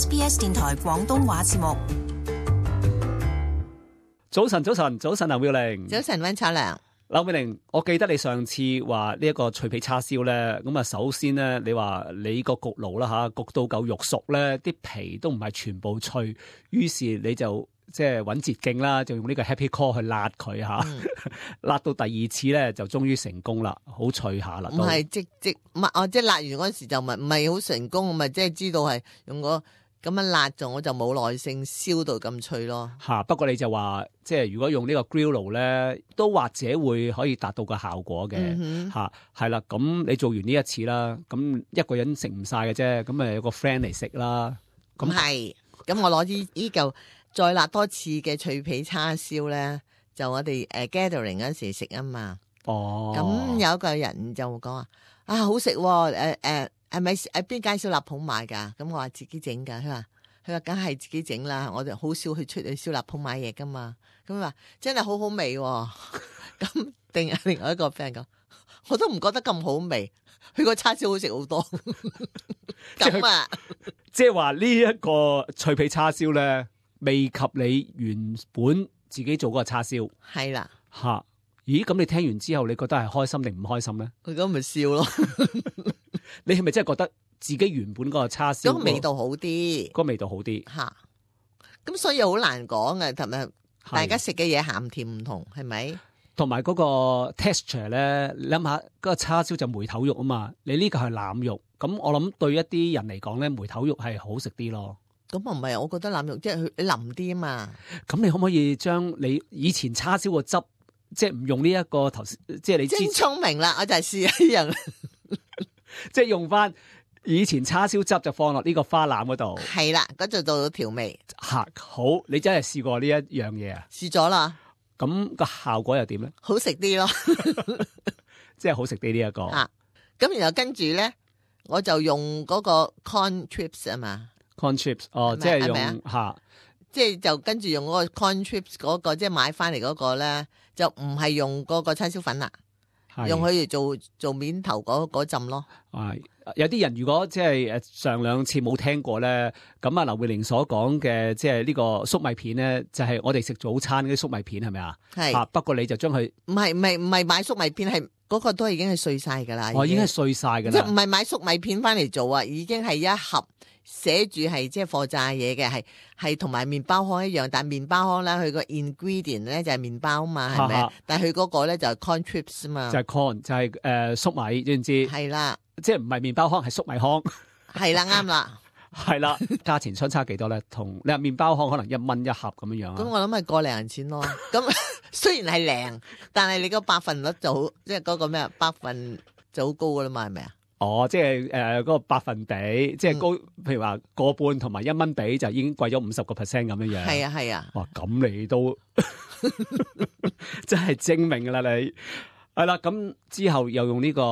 SBS 電台廣東話節目。早晨，劉妙玲。早晨，溫楚良。劉妙玲，我記得你上次話呢一個脆皮叉燒咧，咁啊，首先咧，你話你個焗爐啦吓，焗到夠肉熟咧，啲皮都唔係全部脆，於是你就即係揾捷徑啦，就用呢個 Happy Core 去辣佢吓，辣到第二次咧就終於成功啦，好脆下啦。唔係即係辣完嗰時就唔係好成功，我咪即係知道係用個咁樣辣咗，我就冇耐性燒到咁脆咯。不過你就話即係如果用呢個 grill 爐咧，都或者會可以達到個效果嘅係啦。咁你做完呢一次啦，咁一個人食唔晒嘅啫，咁咪有個 friend 嚟食啦。咁係，咁我攞呢嚿再辣多次嘅脆皮叉燒咧，就我哋gathering 嗰時食啊嘛。哦，咁有一個人就講話好食喎，係咪喺邊間燒臘鋪買噶？咁我話自己整噶，佢話梗係自己整啦，我哋好少去出去燒臘鋪買嘢噶嘛。咁佢話真係好好味喎。咁定係另外一個 friend 講，我都唔覺得咁好味，佢個叉燒好食好多。咁啊，即係話呢一個脆皮叉燒咧，未及你原本自己做嗰個叉燒。係啦，咦？咁你聽完之後，你覺得係開心定唔開心咧？佢咁咪笑咯。你係咪真係覺得自己原本嗰個叉燒個味道好啲？個味道好啲吓，咁所以好難講嘅，同埋大家食嘅嘢鹹甜唔同，係咪？同埋嗰個 texture 咧，你諗下嗰個叉燒就梅頭肉啊嘛，你呢個係腩肉，咁我諗對一啲人嚟講咧，梅頭肉係好食啲咯。咁啊唔係，我覺得腩肉即係佢腍啲啊嘛。咁你可唔可以將你以前叉燒個汁，即係唔用呢一個頭先，即係你真聰明啦，我就係試一樣。即係用翻以前叉燒汁就放落呢個花腩嗰度，係啦，嗰度做到調味。好，你真係試過呢一樣嘢啊？試咗啦。咁個效果又點咧？好食啲咯，即係好食啲呢一個。咁然後跟住咧，我就用嗰個 corn chips 啊嘛。corn chips 即係用即係就跟住用嗰個 corn chips 嗰個，即係買翻嚟嗰個咧，就唔係用嗰個叉燒粉啦。用佢嚟做面頭嗰浸咯。有啲人如果即係上兩次冇聽過咧，咁啊劉妙玲所講嘅即係呢個粟米片咧，就係我哋食早餐嗰啲粟米片係咪啊？係。不過你就將佢唔係買粟米片，係嗰個都係已經係碎晒噶啦。已經係碎晒噶啦。即係唔係買粟米片翻嚟做啊？已經係一盒寫住係即係貨炸嘢嘅，係同埋麵包糠一樣，但係麵包糠咧佢個 ingredient 咧就係麵包嘛，係咪？但係佢嗰個咧就係 corn chips 啊嘛。就係 corn， 就係粟米，知唔知？係啦。即係唔係麵包糠，係粟米糠。係啦，啱啦。係啦，價錢相差幾多咧？同你話麵包糠可能1蚊一盒咁樣樣。咁我諗係個零錢咯。咁雖然係零，但係你個百分率就好，即係嗰個咩百分就好高噶啦嘛，係咪啊？即係嗰個百分比，即係高，譬如話個半同埋1蚊比，就已經貴咗50%咁樣樣。係啊。哇，咁你都真係精明噶啦你。係啦，咁之後又用呢個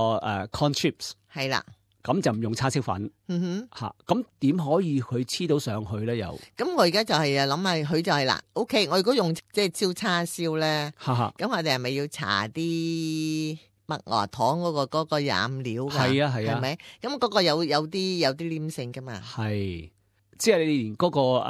corn chips。係啦。咁就唔用叉燒粉。咁點可以佢黐到上去咧？又咁我而家就係諗下佢就係啦。OK，我如果用即係燒叉燒咧，咁我哋係咪要搽啲麥芽糖嗰個染料噶？係啊，係咪？咁嗰個有啲黏性噶嘛？係，即係你連嗰個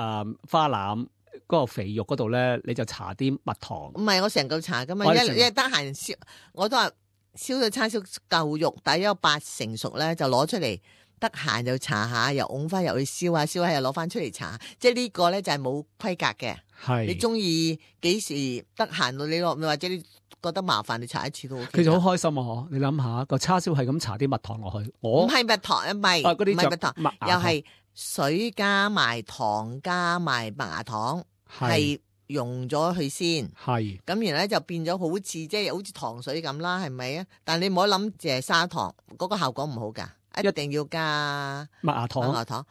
花腩嗰個肥肉嗰度咧，你就搽啲蜜糖。唔係，我成嚿搽噶嘛，因為得閒燒，我都話燒到叉燒夠肉，大約有80%熟咧，就攞出嚟，得閒就搽下，又㧬翻入去燒下，又攞翻出嚟搽。即係呢個咧就係冇規格嘅。係你中意幾時得閒到你落，或者你覺得麻煩，你搽一次都 OK。其實好開心啊！你諗下個叉燒係咁搽啲蜜糖落去，唔係蜜糖，唔係嗰啲蜜糖，又係水加埋糖加埋麥芽糖，係溶咗佢先。係咁，然後咧就變咗好似即係好似糖水咁啦，係咪啊？但你唔好諗淨係砂糖，嗰個效果唔好噶，一定要加麥芽糖。麥芽糖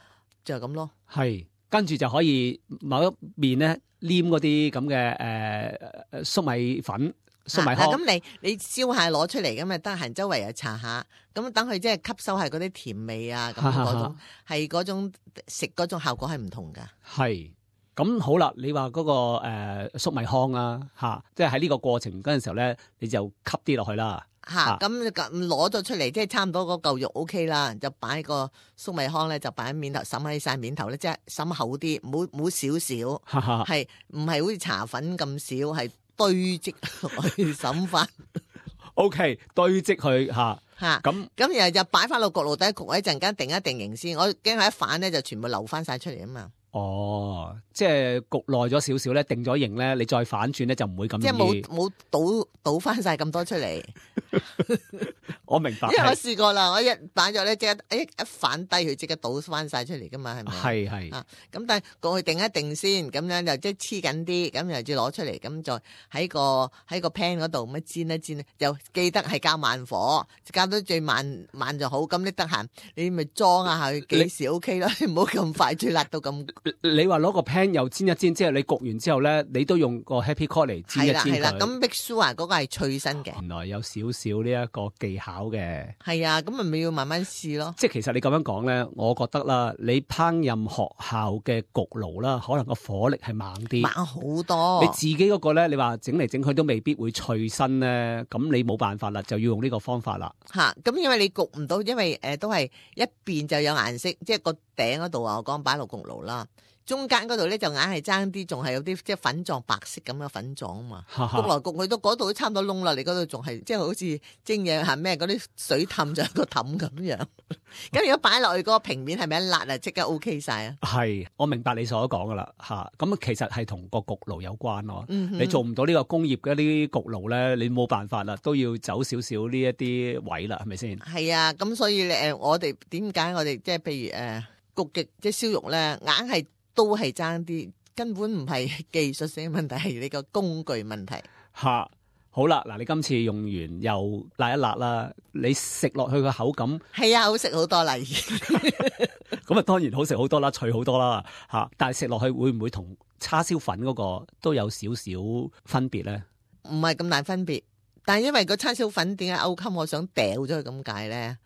就係咁咯。係跟住就可以某一面咧黏嗰啲咁嘅粟米粉。粟米糠。咁你燒下攞出嚟咁啊，得閒周圍又搽下，咁等佢即係吸收係嗰啲甜味啊，咁嗰種係嗰種食嗰種效果係唔同噶。係咁好啦，你話嗰、個粟米糠啊，即係喺呢個過程嗰陣時候咧，你就吸啲落去啦。咁攞咗出嚟，即係差唔多嗰嚿肉 O K 啦，就擺個粟米糠咧，就擺喺面頭，滲喺晒面頭咧，即係滲厚啲，唔好少少，係唔係好似茶粉咁少，係堆積去滲翻。O K， 堆積去咁然後就擺翻落焗爐底焗一陣間，定一定型先。我驚佢一反咧就全部流翻晒出嚟啊嘛。哦，即係焗耐咗少少咧，定咗型咧，你再反轉咧就唔會咁容易。即係冇倒翻晒咁多出嚟。我明白，因為我試過啦，我一擺咗咧，即刻一反低佢，即刻倒翻晒出嚟噶嘛，係咪？係咁但係過去定一定先，咁樣就即係黐緊啲，咁又再攞出嚟，咁再喺個 pan 嗰度咁煎一煎，就記得係較慢火，較到最慢就好。咁你得閒你咪裝下佢幾時 OK 咯，唔好咁快最辣到咁。你話攞個 pan 又煎一煎，即係你焗完之後咧，你都用個 Happy Core 嚟煎一煎佢。係啦，咁 make sure 嗰個係脆身嘅。原來有少少呢一個技巧嘅。係啊，咁咪要慢慢試咯。即係其實你咁樣講咧，我覺得啦，你烹飪學校嘅焗爐啦，可能個火力係猛啲，猛好多。你自己嗰個咧，你話整嚟整去都未必會脆身咧，咁你冇辦法啦，就要用呢個方法啦。咁因為你焗唔到，因為都係一邊就有顏色，即係個頂嗰度啊，我講擺落焗爐啦。中間嗰度咧就硬係爭啲，仲係有啲即係粉狀白色咁嘅粉狀啊嘛，焗來焗去到嗰度都差唔多窿啦，你嗰度仲係即係好似蒸嘢係咩嗰啲水氹就個氹咁樣。咁如果擺落去嗰個平面係咪一辣啊，即刻 OK 晒啊？係，我明白你所講噶啦嚇。咁其實係同個焗爐有關咯。你做唔到呢個工業嘅啲焗爐咧，你冇辦法啦，都要走少少呢一啲位啦，係咪先？係啊，咁所以我哋點解我哋即係譬如焗極即係燒肉咧，硬係都係爭啲，根本唔係技術性問題，係你個工具問題。好啦，嗱，你今次用完又辣一辣啦，你食落去個口感係啊，好食好多啦，咁啊，當然好食好多啦，脆好多啦，但係食落去會唔會同叉燒粉嗰個都有少少分別咧？唔係咁大分別，但係因為個叉燒粉點解勾襟，我想掉咗佢咁解咧？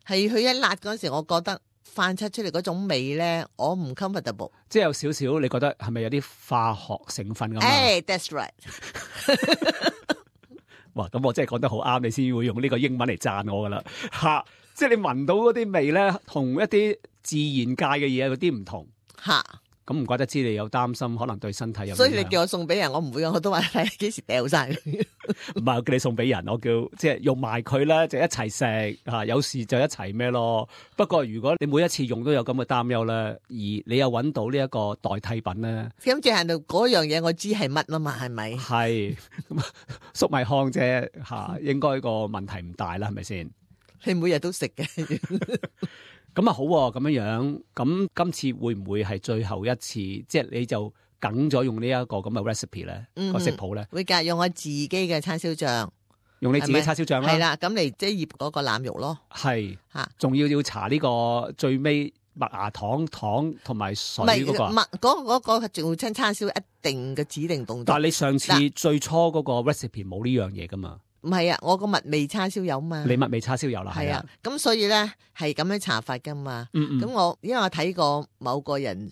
係佢一辣嗰陣時，我覺得翻出嚟嗰種味咧，我唔 comfortable， 即係有少少，你覺得係咪有啲化學成分咁啊？That's right 。哇，咁我真係講得好啱，你先會用呢個英文嚟讚我噶啦，即係你聞到嗰啲味咧，同一啲自然界嘅嘢嗰啲唔同，咁唔怪得知你有擔心，可能對身體有。所以你叫我送俾人，我唔會，我都話睇幾時掉晒。唔係我叫你送俾人，我叫即係用埋佢啦，就一齊食嚇，有事就一齊咩咯。不過如果你每一次用都有咁嘅擔憂咧，而你又揾到呢一個代替品咧，咁即係到嗰樣嘢我知係乜啊嘛，係咪？係粟米糠啫嚇，應該個問題唔大啦，係咪先？你每日都食嘅。咁啊好喎，咁樣樣，咁今次會唔會係最後一次？即係你就梗咗用呢一個咁嘅 recipe 咧，個食譜咧？會㗎，用我自己嘅叉燒醬，用你自己叉燒醬啦。係啦，咁嚟即係醃嗰個腩肉咯。係仲要搽呢個最尾麥芽糖同埋水嗰個。嗰個做親叉燒一定嘅指定動作。但係你上次最初嗰個 recipe 冇呢樣嘢㗎嘛？唔係啊，我個蜜味叉燒有嘛？你蜜味叉燒有啦，係啊。咁所以咧係咁樣搽法噶嘛。咁因為我睇過某個人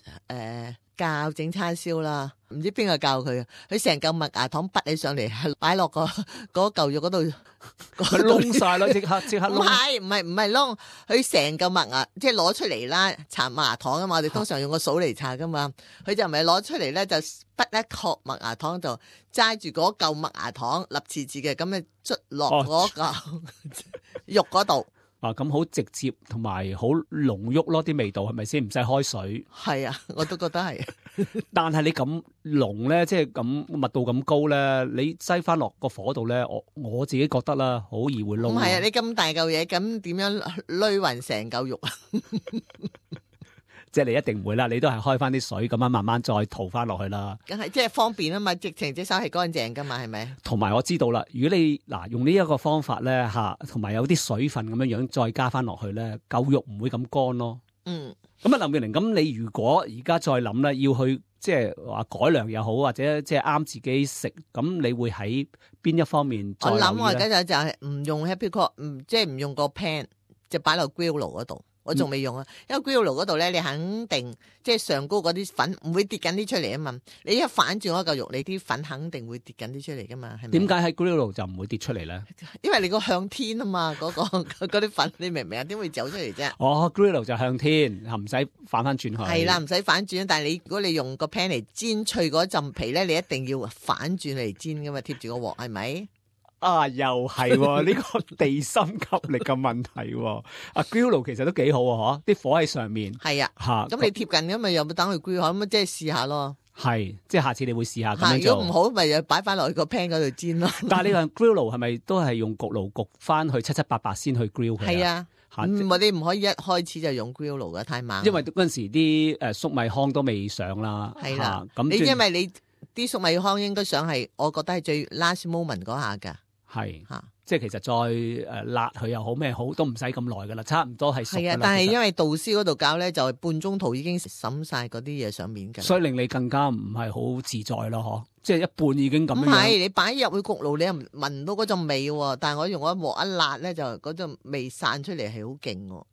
教整叉燒啦，唔知邊個教佢啊？佢成嚿麥芽糖滗起上嚟，擺落嗰嚿肉嗰度，佢燶晒咯，即刻燶。唔係燶，佢成嚿麥芽即係攞出嚟啦，搽麥芽糖啊嘛。我哋通常用個掃嚟搽噶嘛，佢就唔係攞出嚟咧，就滗一殼麥芽糖就揸住嗰嚿麥芽糖立次次嘅咁樣捽落嗰嚿肉嗰度。咁好直接同埋好濃郁咯，啲味道係咪先？唔使開水。係啊，我都覺得係。但係你咁濃咧，即係咁密度咁高咧，你擠翻落個火度咧，我自己覺得啦，好易會燶。唔係啊，你咁大嚿嘢，咁點樣撈勻成嚿肉啊？即係你一定唔會啦，你都係開翻啲水咁樣慢慢再塗翻落去啦。梗係即係方便啊嘛，直情隻手係乾淨噶嘛，係咪？同埋我知道啦，如果你用呢一個方法咧同埋有啲水分咁樣再加翻落去咧，嚿肉唔會咁乾咯。咁啊，林妙玲，咁你如果而家再諗咧，要去即係話改良又好，或者即係啱自己食，咁你會喺邊一方面再留意咧？我諗我而家就係唔用 Happy Core，即係唔用個 pan，就擺落 grill 爐嗰度。我仲未用啊，因為 grill 嗰度咧，你肯定即係上高嗰啲粉唔會跌緊啲出嚟啊嘛。你一反轉嗰嚿肉，你啲粉肯定會跌緊啲出嚟噶嘛，係咪？點解喺 grill 就唔會跌出嚟咧？因為你個向天啊嘛，嗰啲粉你明唔明啊？點會走出嚟啫？哦 grill 就向天，唔使反翻轉去。係啦，唔使反轉，但係你如果你用個 pan 嚟煎脆嗰陣皮咧，你一定要反轉嚟煎噶嘛，貼住個鑊係咪？啊，又係呢個地心吸力嘅問題。grill 其實都幾好啊，嗬，啲火喺上面。係啊，吓咁你貼近咁咪又冇等佢 grill 咁即係試下咯。係，即係下次你會試下咁樣做。如果唔好，咪又擺翻落去個 pan 嗰度煎咯。但係呢個 grill 係咪都係用焗爐焗翻去七七八八先去 grill 佢？係啊，你唔可以一開始就用 grill 爐嘅，太猛。因為嗰陣時啲粟米糠都未上啦。係啦，咁因為你啲粟米糠應該上係，我覺得係最 last moment 嗰下㗎。係即係其實再辣佢又好咩好，都唔使咁耐噶啦，差唔多係熟㗎啦。係啊，但係因為導師嗰度教咧，就係半中途已經滲晒嗰啲嘢上面㗎，所以令你更加唔係好自在咯，嗬！即係一半已經咁樣。唔係，你擺入去焗爐，你又聞唔到嗰陣味喎。但係我用一鑊一辣咧，就嗰陣味散出嚟係好勁喎。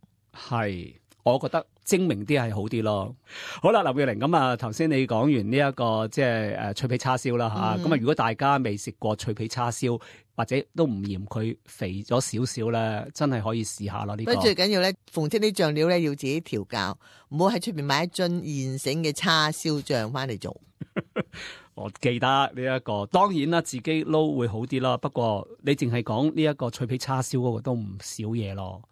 係。我覺得精明啲係好啲咯。好啦，劉妙玲，咁啊，頭先你講完呢一個即係脆皮叉燒啦吓，咁啊，如果大家未食過脆皮叉燒，或者都唔嫌佢肥咗少少咧，真係可以試下咯。呢個最緊要咧，逢親啲醬料咧要自己調教，唔好喺出邊買一樽現成嘅叉燒醬翻嚟做。我記得呢一個，當然啦，自己撈會好啲啦。不過你淨係講呢一個脆皮叉燒嗰個都唔少嘢咯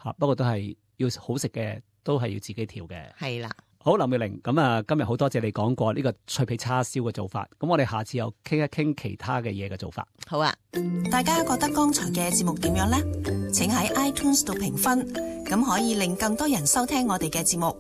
吓，不過都係。要好食嘅都係要自己調嘅。係啦，好，劉妙玲，咁啊，今日好多謝你講過呢個脆皮叉燒嘅做法，咁我哋下次又傾一傾其他嘅嘢嘅做法。好啊，大家覺得剛才嘅節目點樣呢？請喺 iTunes 度評分，咁可以令更多人收聽我哋嘅節目。